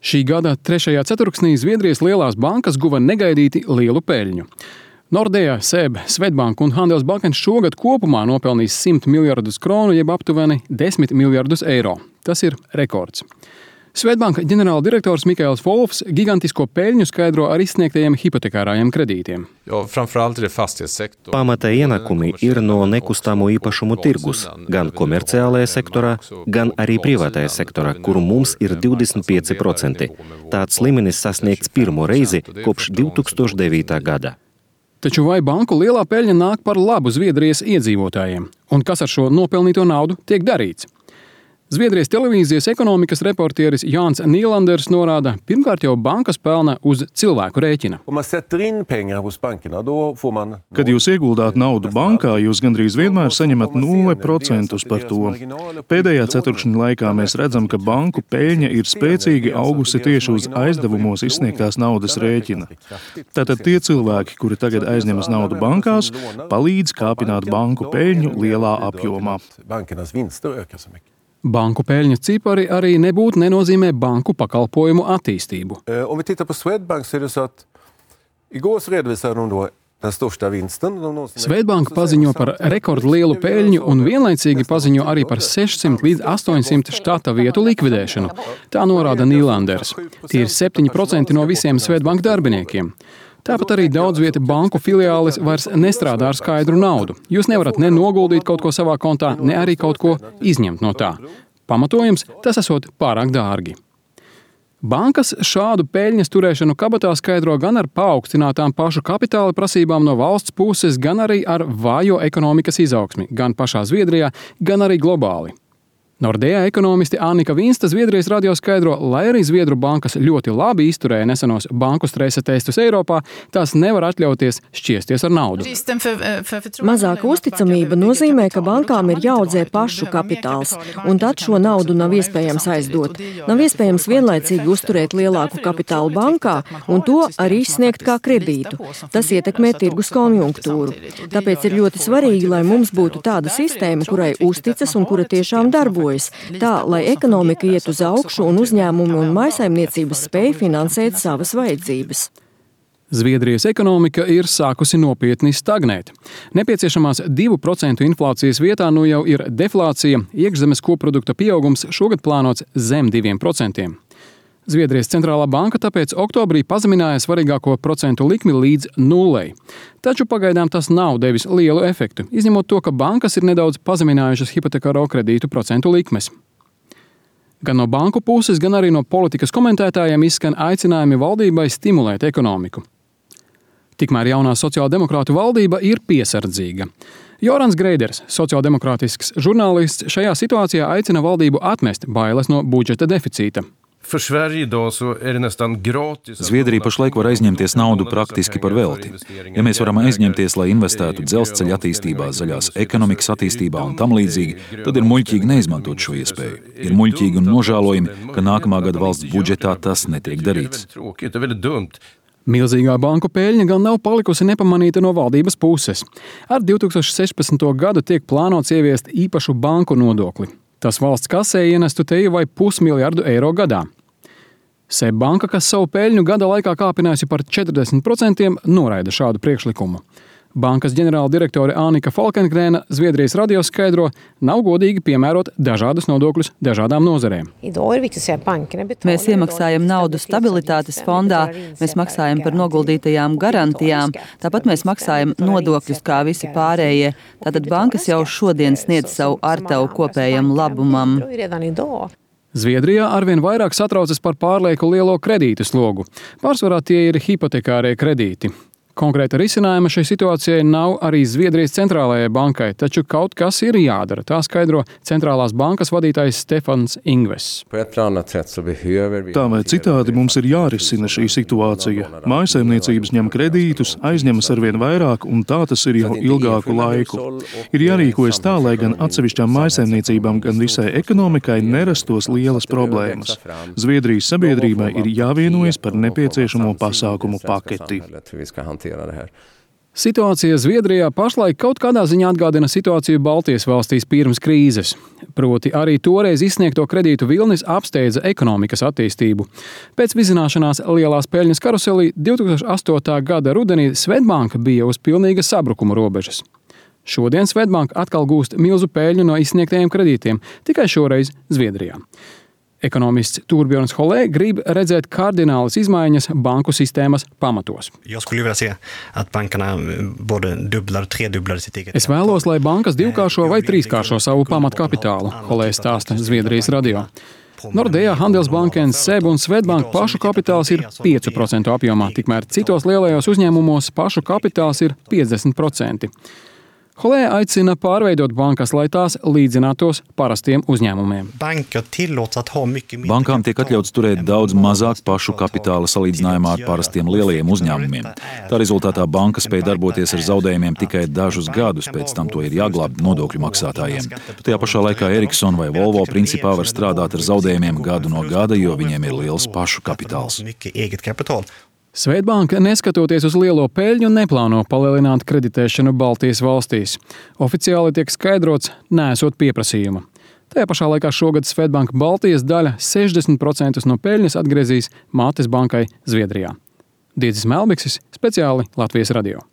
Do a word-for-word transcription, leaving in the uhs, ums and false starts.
Šī gada trešajā ceturksnī Zviedrijas lielās bankas guva negaidīti lielu peļņu. Nordea, S E B, Swedbank un Handelsbanken šogad kopumā nopelnīs simt miljardus kronu, jeb aptuveni desmit miljardus eiro. Tas ir rekords. Swedbank ģenerāla direktors Mikaels Wolfs gigantisko peļņu skaidro ar izsniegtajiem hipotekārajiem kredītiem. Pamata ienākumi ir no nekustamo īpašumu tirgus, gan komerciālajā sektorā, gan arī privātajā sektorā, kuru mums ir divdesmit pieci procenti. Tāds līmenis sasniegts pirmo reizi kopš divi tūkstoši devītā gada. Taču vai banku lielā peļņa nāk par labu Zviedrijas iedzīvotājiem? Un kas ar šo nopelnīto naudu tiek darīts? Zviedrijas televīzijas ekonomikas reportieris Jānis Nīlanders norāda, pirmkārt jau bankas pelna uz cilvēku rēķina. Kad jūs ieguldāt naudu bankā, jūs gandrīz vienmēr saņemat nulle procentus par to. Pēdējā ceturkšņa laikā mēs redzam, ka banku peļņa ir spēcīgi augusi tieši uz aizdevumos izsniegtās naudas rēķina. Tātad tie cilvēki, kuri tagad aizņemas naudu bankās, palīdz kāpināt banku peļņu lielā apjomā. Banku peļņas cipari arī nebūtu nenozīmē banku pakalpojumu attīstību. Swedbank paziņo par rekordlielu peļņu un vienlaicīgi paziņo arī par sešsimt līdz astoņsimt štata vietu likvidēšanu. Tā norāda Nīlanders. Tie ir septiņi procenti no visiem Swedbank darbiniekiem. Tāpat arī daudz vieta banku filiālis vairs nestrādā ar skaidru naudu. Jūs nevarat ne noguldīt kaut ko savā kontā, ne arī kaut ko izņemt no tā. Pamatojums, tas esot pārāk dārgi. Bankas šādu peļņas turēšanu kabatā skaidro gan ar paaugstinātām pašu kapitāla prasībām no valsts puses, gan arī ar vājo ekonomikas izaugsmi, gan pašā Zviedrijā, gan arī globāli. Nordea ekonomisti Annika Vinsta Zviedrijas radio skaidro, lai arī Zviedru bankas ļoti labi izturēja nesenos banku stresa testus Eiropā, tās nevar atļauties šķiesties ar naudu. Mazāka uzticamība nozīmē, ka bankām ir jāaudzē pašu kapitāls, un tad šo naudu nav iespējams aizdot. Nav iespējams vienlaicīgi uzturēt lielāku kapitālu bankā un to arī izsniegt kā kredītu. Tas ietekmē tirgus konjunktūru. Tāpēc ir ļoti svarīgi, lai mums būtu tāda sistēma, kurai uzticas un kura tiešām darbojas. Tā, lai ekonomika iet uz augšu un uzņēmumi un mājsaimniecības spēj finansēt savas vajadzības. Zviedrijas ekonomika ir sākusi nopietni stagnēt. Nepieciešamās divu procentu inflācijas vietā nu jau ir deflācija, iekšzemes koprodukta pieaugums šogad plānots zem diviem procentiem. Zviedrijas centrālā banka tāpēc oktobrī pazemināja svarīgāko procentu likmi līdz nulei. Taču pagaidām tas nav devis lielu efektu, izņemot to, ka bankas ir nedaudz pazeminājušas hipotekāro kredītu procentu likmes. Gan no banku puses, gan arī no politikas komentētājiem izskan aicinājumi valdībai stimulēt ekonomiku. Tikmēr jaunā sociāldemokrātu valdība ir piesardzīga. Jorans Greiders, sociāldemokrātisks žurnālists, šajā situācijā aicina valdību atmest bailes no budžeta deficīta. Zviedrija pašlaik var aizņemties naudu praktiski par velti. Ja mēs varam aizņemties, lai investētu dzelzceļa attīstībā, zaļās ekonomikas attīstībā un tam līdzīgi, tad ir muļķīgi neizmantot šo iespēju. Ir muļķīgi un nožēlojami, ka nākamā gada valsts budžetā tas netiek darīts. Milzīgā banku peļņa gan nav palikusi nepamanīta no valdības puses. Ar divi tūkstoši sešpadsmito gadu tiek plānots ieviest īpašu banku nodokli. Tas valsts kasē ienestu teju vai pusmiljardu eiro gadā. S E B banka, kas savu peļņu gada laikā kāpinājusi par četrdesmit procentiem, noraida šādu priekšlikumu. Bankas ģenerāla direktore Annika Falkengrēna Zviedrijas radio skaidro, nav godīgi piemērot dažādas nodokļus dažādām nozarēm. Mēs iemaksājam naudu stabilitātes fondā, mēs maksājam par noguldītajām garantijām, tāpat mēs maksājam nodokļus kā visi pārējie. Tātad bankas jau šodien sniedz savu artavu kopējam labumam. Zviedrijā arvien vairāk satraucas par pārlieku lielo kredītu slogu. Pārsvarā tie ir hipotekārie kredīti. Konkrēta risinājuma šai situācijai nav arī Zviedrijas centrālajai bankai, taču kaut kas ir jādara, tā skaidro centrālās bankas vadītājs Stefans Ingves. Tā vai citādi mums ir jārisina šī situācija. Mājsaimniecības ņem kredītus, aizņemas arvien vairāk, un tā tas ir jau ilgāku laiku. Ir jārīkojas tā, lai gan atsevišķām mājsaimniecībām, gan visai ekonomikai nerastos lielas problēmas. Zviedrijas sabiedrībai ir jāvienojas par nepieciešamo pasākumu paketi. Situācija Zviedrijā pašlaik kaut kādā ziņā atgādina situāciju Baltijas valstīs pirms krīzes. Proti arī toreiz izsniegto kredītu vilnis apsteidza ekonomikas attīstību. Pēc vizināšanās lielās peļņas karuselī divi tūkstoši astotā gada rudenī Swedbank bija uz pilnīga sabrukuma robežas. Šodien Swedbank atkal gūst milzu peļņu no izsniegtajiem kredītiem, tikai šoreiz Zviedrijā. Ekonomists Torbjörns Holē grib redzēt kardinālas izmaiņas banku sistēmas pamatos. Es vēlos, lai bankas divkāršo vai trīskāršo savu pamatkapitālu, Holē stāsta Zviedrijas radio. Nordea, Handelsbanken, Seb un Swedbank pašu kapitāls ir pieci procenti apjomā, tikmēr citos lielajos uzņēmumos pašu kapitāls ir piecdesmit procenti. Holē aicina pārveidot bankas, lai tās līdzinātos parastiem uzņēmumiem. Bankām tiek atļauts turēt daudz mazāk pašu kapitāla salīdzinājumā ar parastiem lielajiem uzņēmumiem. Tā rezultātā banka spēj darboties ar zaudējumiem tikai dažus gadus, pēc tam to ir jāglābj nodokļu maksātājiem. Tajā pašā laikā Ericsson vai Volvo principā var strādāt ar zaudējumiem gadu no gada, jo viņiem ir liels pašu kapitāls. Swedbank, neskatoties uz lielo peļņu, neplāno palielināt kreditēšanu Baltijas valstīs. Oficiāli tiek skaidrots, neesot pieprasījuma. Tajā pašā laikā šogad Swedbank Baltijas daļa sešdesmit procenti no peļņas atgriezīs mātes bankai Zviedrijā. Diedzis Melbiksis, speciāli Latvijas radio.